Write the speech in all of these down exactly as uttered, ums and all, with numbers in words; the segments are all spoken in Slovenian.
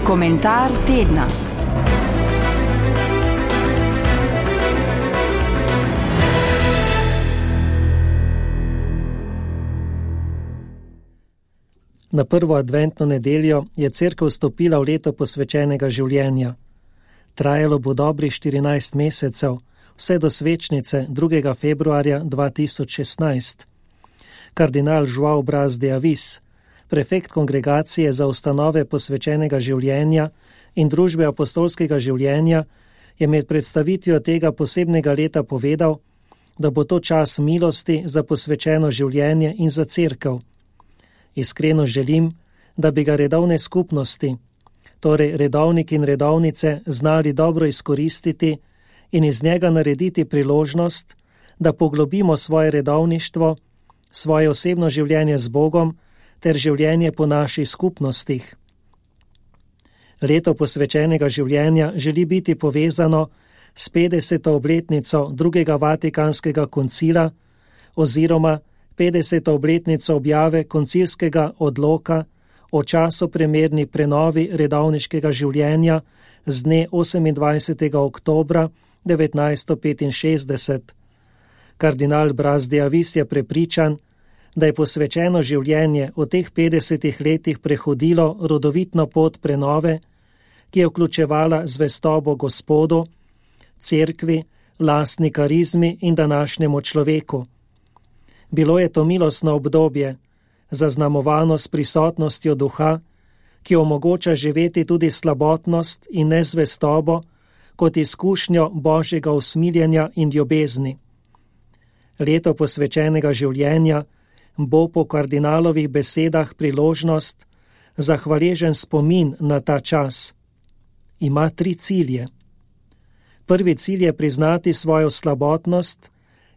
Komentar tedna. Na prvo adventno nedeljo je cerkev vstopila v leto posvečenega življenja. Trajalo bo dobrih štirinajst mesecev, vse do svečnice drugega februarja dva tisoč šestnajst. Kardinal João Braz de Avis, prefekt kongregacije za ustanove posvečenega življenja in družbe apostolskega življenja, je med predstavitvijo tega posebnega leta povedal, da bo to čas milosti za posvečeno življenje in za cerkev. Iskreno želim, da bi ga redovne skupnosti, torej redovniki in redovnice, znali dobro izkoristiti in iz njega narediti priložnost, da poglobimo svoje redovništvo, svoje osebno življenje z Bogom ter življenje po naših skupnostih. Leto posvečenega življenja želi biti povezano s petdeseto obletnico drugega Vatikanskega koncila oziroma petdeseto obletnico objave koncilskega odloka o časoprimerni prenovi redovniškega življenja z dne osemindvajsetega oktobra devetnajststo petinšestdeset. Kardinal Braz de Avis je prepričan, da je posvečeno življenje v teh petdesetih letih prehodilo rodovitno pot prenove, ki je vključevala zvestobo Gospodu, cerkvi, lastni karizmi in današnjemu človeku. Bilo je to milostno obdobje, zaznamovano s prisotnostjo duha, ki omogoča živeti tudi slabotnost in nezvestobo kot izkušnjo Božjega usmiljenja in ljubezni. Leto posvečenega življenja bo po kardinalovih besedah priložnost za hvaležen spomin na ta čas. Ima tri cilje. Prvi cilj je priznati svojo slabotnost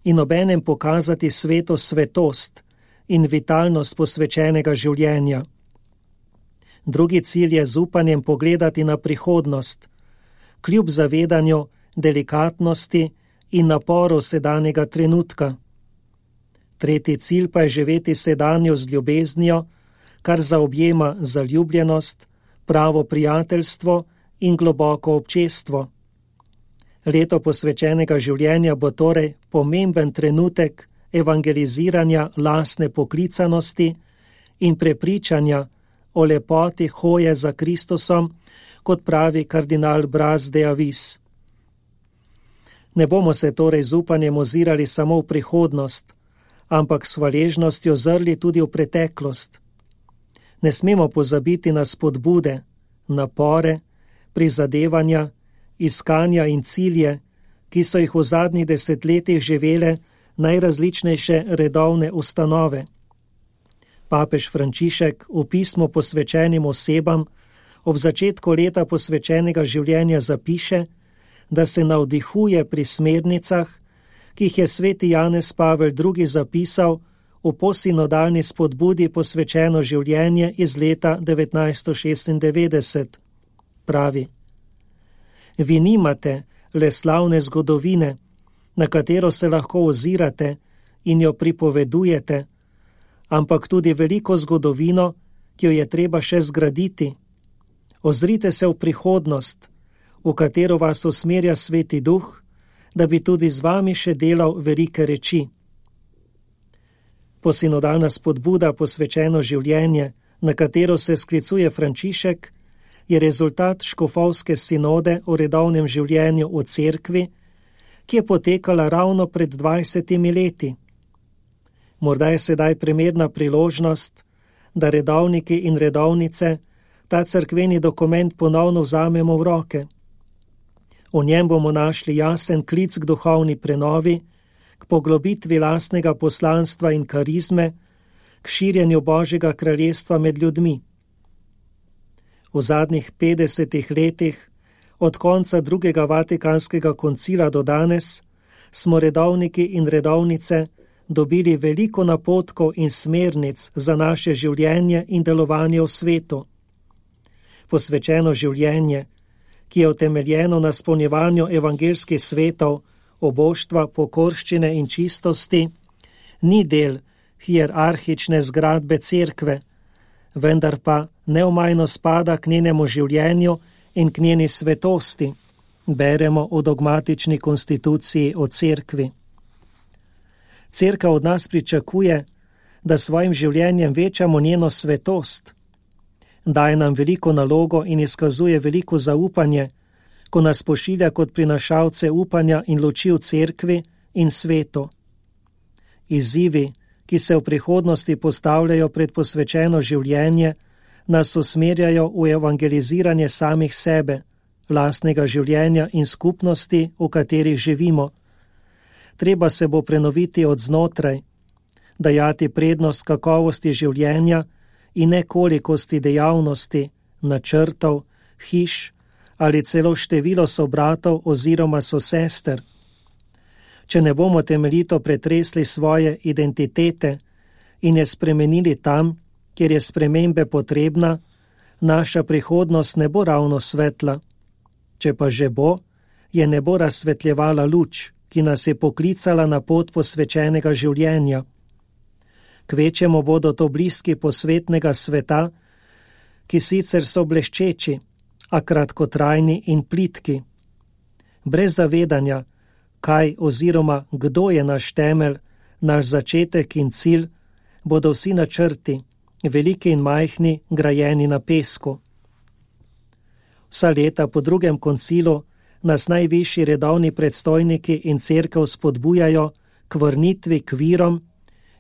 in obenem pokazati svetu svetost in vitalnost posvečenega življenja. Drugi cilj je z upanjem pogledati na prihodnost, kljub zavedanju delikatnosti in naporu sedanjega trenutka. Tretji cilj pa je živeti sedanjo z ljubeznijo, kar zaobjema zaljubljenost, pravo prijateljstvo in globoko občestvo. Leto posvečenega življenja bo torej pomemben trenutek evangeliziranja lastne poklicanosti in prepričanja o lepoti hoje za Kristusom, kot pravi kardinal Braz de Avis. Ne bomo se torej z upanjem ozirali samo v prihodnost, ampak s hvaležnostjo zrli tudi v preteklost. Ne smemo pozabiti na spodbude, napore, prizadevanja, iskanja in cilje, ki so jih v zadnjih desetletjih živele najrazličnejše redovne ustanove. Papež Frančišek v pismu posvečenim osebam ob začetku leta posvečenega življenja zapiše, da se navdihuje pri smernicah, ki jih je sveti Janez Pavel drugi zapisal v posinodalni spodbudi posvečeno življenje iz leta devetnajststo šestindevetdeset. Pravi: Vi nimate le slavne zgodovine, na katero se lahko ozirate in jo pripovedujete, ampak tudi veliko zgodovino, ki jo je treba še zgraditi. Ozrite se v prihodnost, v katero vas usmerja Sveti Duh, da bi tudi z vami še delal velike reči. Posinodalna spodbuda posvečeno življenje, na katero se sklicuje Frančišek, je rezultat škofovske sinode o redovnem življenju v cerkvi, ki je potekala ravno pred dvajsetimi leti. Morda je sedaj primerna priložnost, da redovniki in redovnice ta cerkveni dokument ponovno vzamemo v roke. V njem bomo našli jasen klic k duhovni prenovi, k poglobitvi lastnega poslanstva in karizme, k širjenju Božjega kraljestva med ljudmi. V zadnjih petdesetih letih, od konca drugega Vatikanskega koncila do danes, smo redovniki in redovnice dobili veliko napotkov in smernic za naše življenje in delovanje v svetu. Posvečeno življenje, ki je utemeljeno na izpolnjevanju evangelskih svetov, oboštva, pokorščine in čistosti, ni del hierarhične zgradbe cerkve, vendar pa neomajno spada k njenemu življenju in k njeni svetosti, beremo v dogmatični konstituciji o cerkvi. Cerkev od nas pričakuje, da svojim življenjem večamo njeno svetost. Daje nam veliko nalogo in izkazuje veliko zaupanje, ko nas pošilja kot prinašalce upanja in luči v cerkvi in svetu. Izzivi, ki se v prihodnosti postavljajo pred posvečeno življenje, nas usmerjajo v evangeliziranje samih sebe, lastnega življenja in skupnosti, v katerih živimo. Treba se bo prenoviti od znotraj, dajati prednost kakovosti življenja in ne kolikosti dejavnosti, načrtov, hiš ali celo število sobratov oziroma sosester. Če ne bomo temeljito pretresli svoje identitete in je spremenili tam, kjer je spremembe potrebna, naša prihodnost ne bo ravno svetla. Če pa že bo, je ne bo razsvetljevala luč, ki nas je poklicala na pot posvečenega življenja. Kvečemo bodo to bliski posvetnega sveta, ki sicer so bleščeči, a kratkotrajni in plitki. Brez zavedanja, kaj oziroma kdo je naš temelj, naš začetek in cilj, bodo vsi načrti, veliki in majhni, grajeni na pesku. Vsa leta po drugem koncilu nas najvišji redovni predstojniki in cerkev spodbujajo k vrnitvi k virom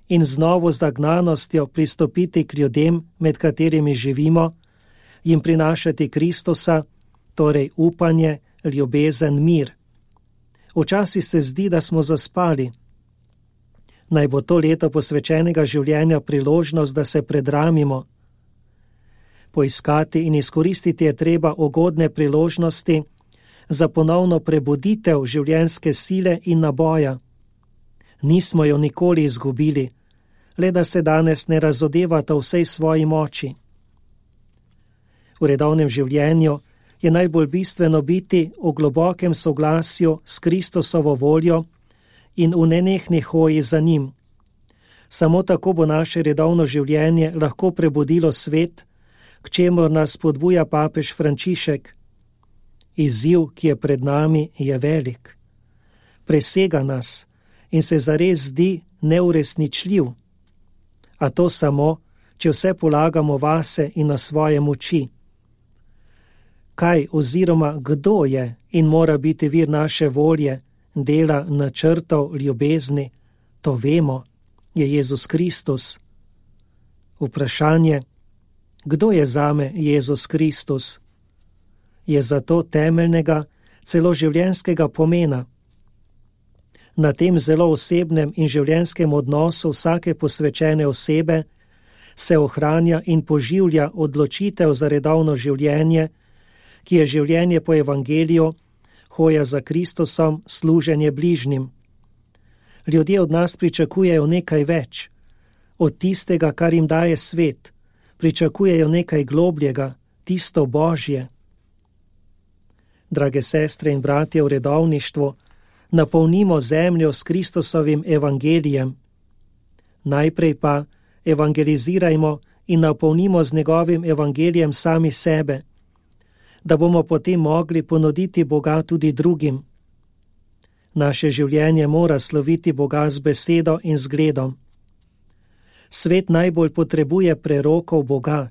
in z novo zagnanostjo pristopiti k ljudem, med katerimi živimo, jim prinašati Kristusa, torej upanje, ljubezen, mir. Včasih se zdi, da smo zaspali. Naj bo to leto posvečenega življenja priložnost, da se predramimo. Poiskati in izkoristiti je treba ugodne priložnosti za ponovno prebuditev življenjske sile in naboja. Nismo jo nikoli izgubili, le da se danes ne razodevata vsej svoji moči. V redovnem življenju je najbolj bistveno biti v globokem soglasju s Kristusovo voljo in v nenehni hoji za njim. Samo tako bo naše redovno življenje lahko prebudilo svet, k čemur nas spodbuja papež Frančišek. Izziv, ki je pred nami, je velik. Presega nas in se zares zdi neuresničljiv. A to samo, če vse polagamo vase in na svoje moči. Kaj oziroma kdo je in mora biti vir naše volje, dela, načrtov, ljubezni, to vemo, je Jezus Kristus. Vprašanje, kdo je zame Jezus Kristus, je zato temeljnega, celo življenjskega pomena. Na tem zelo osebnem in življenjskem odnosu vsake posvečene osebe se ohranja in poživlja odločitev za redovno življenje, ki je življenje po evangeliju, hoja za Kristusom, služenje bližnjim. Ljudje od nas pričakujejo nekaj več. Od tistega, kar jim daje svet, pričakujejo nekaj globljega, tisto Božje. Drage sestre in bratje v redovništvu, napolnimo zemljo s Kristusovim evangelijem. Najprej pa evangelizirajmo in napolnimo z njegovim evangelijem sami sebe, da bomo potem mogli ponuditi Boga tudi drugim. Naše življenje mora sloviti Boga z besedo in zgledom. Svet najbolj potrebuje prerokov Boga,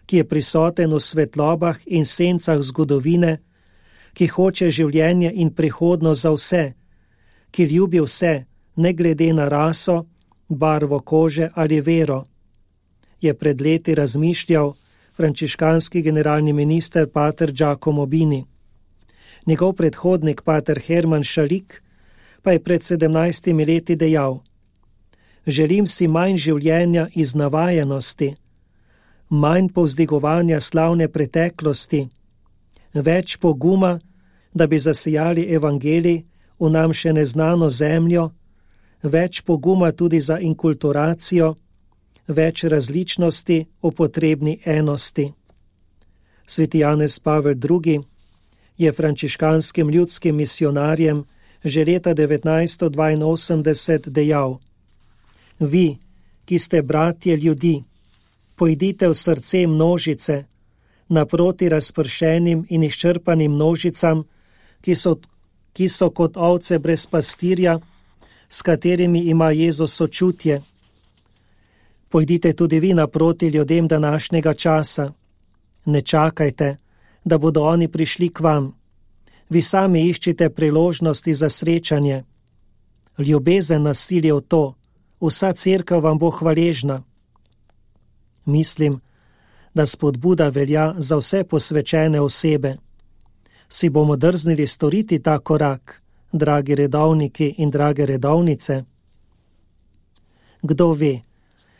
ki je prisoten v svetlobah in sencah zgodovine, ki hoče življenje in prihodnost za vse, ki ljubi vse, ne glede na raso, barvo kože ali vero, je pred leti razmišljal frančiškanski generalni minister pater Giacomo Bini. Njegov predhodnik pater Herman Šalik pa je pred sedemnajstimi leti dejal: želim si manj življenja iz navajenosti, manj povzdigovanja slavne preteklosti, več poguma, da bi zasijali evangelij v nam še neznano zemljo, več poguma tudi za inkulturacijo, več različnosti v potrebni enosti. Sveti Janez Pavel drugi je frančiškanskim ljudskim misionarjem že leta devetnajststo dvainosemdeset dejal: vi, ki ste bratje ljudi, Pojdite v srce množice, naproti razpršenim in izčrpanim množicam, ki so, ki so kot ovce brez pastirja, s katerimi ima Jezus sočutje. Pojdite tudi vi naproti ljudem današnjega časa. Ne čakajte, da bodo oni prišli k vam. Vi sami iščite priložnosti za srečanje. Ljubezen nas sili v to, vsa cerkev vam bo hvaležna. Mislim, da spodbuda velja za vse posvečene osebe. Si bomo drznili storiti ta korak, dragi redovniki in drage redovnice? Kdo ve,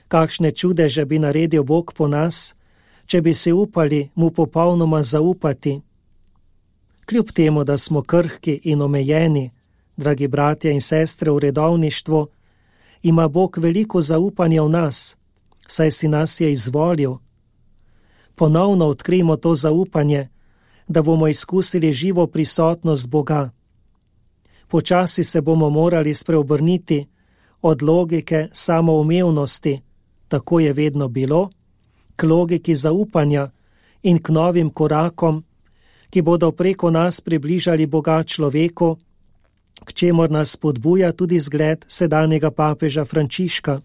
kakšne čudeže bi naredil Bog po nas, če bi se upali mu popolnoma zaupati. Kljub temu, da smo krhki in omejeni, dragi bratje in sestre v redovništvu, ima Bog veliko zaupanja v nas, saj si nas je izvolil. Ponovno odkrijmo to zaupanje, da bomo izkusili živo prisotnost Boga. Počasi se bomo morali spreobrniti od logike samoumevnosti, tako je vedno bilo, k logiki zaupanja in k novim korakom, ki bodo preko nas približali Boga človeku, k čemur nas spodbuja tudi zgled sedanjega papeža Frančiška.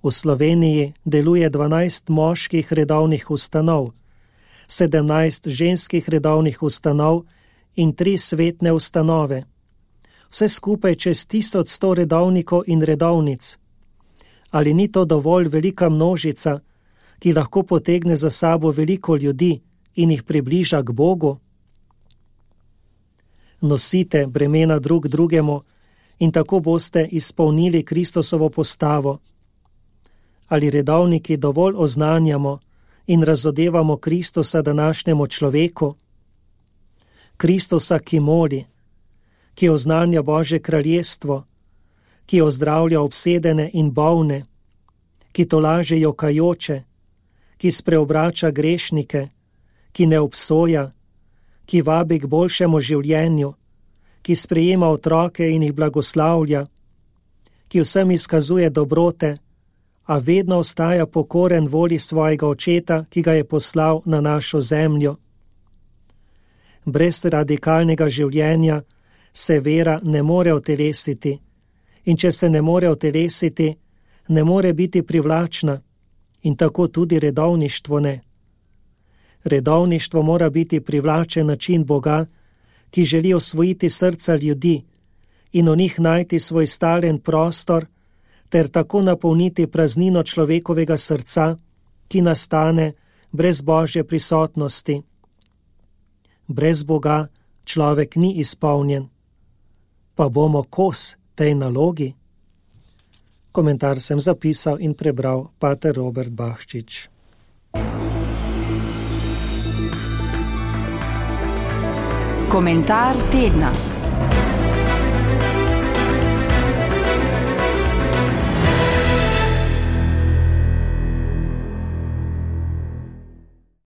V Sloveniji deluje dvanajst moških redovnih ustanov, sedemnajst ženskih redovnih ustanov in tri svetne ustanove. Vse skupaj čez tisoč sto redovnikov in redovnic. Ali ni to dovolj velika množica, ki lahko potegne za sabo veliko ljudi in jih približa k Bogu? Nosite bremena drug drugemu in tako boste izpolnili Kristusovo postavo. Ali redovniki dovolj oznanjamo in razodevamo Kristusa današnjemu človeku? Kristusa, ki moli, ki oznanja Božje kraljestvo, ki ozdravlja obsedene in bolne, ki tolaže jokajoče, ki spreobrača grešnike, ki ne obsoja, ki vabi k boljšemu življenju, ki sprejema otroke in jih blagoslavlja, ki vsem izkazuje dobrote, a vedno ostaja pokoren volji svojega očeta, ki ga je poslal na našo zemljo. Brez radikalnega življenja se vera ne more utelesiti, in če se ne more utelesiti, ne more biti privlačna, in tako tudi redovništvo ne. Redovništvo mora biti privlačen način Boga, ki želi osvojiti srca ljudi in v njih najti svoj stalen prostor, ter tako napolniti praznino človekovega srca, ki nastane brez Božje prisotnosti. Brez Boga človek ni izpolnjen. Pa bomo kos tej nalogi? Komentar sem zapisal in prebral pater Robert Bahčič. Komentar tedna.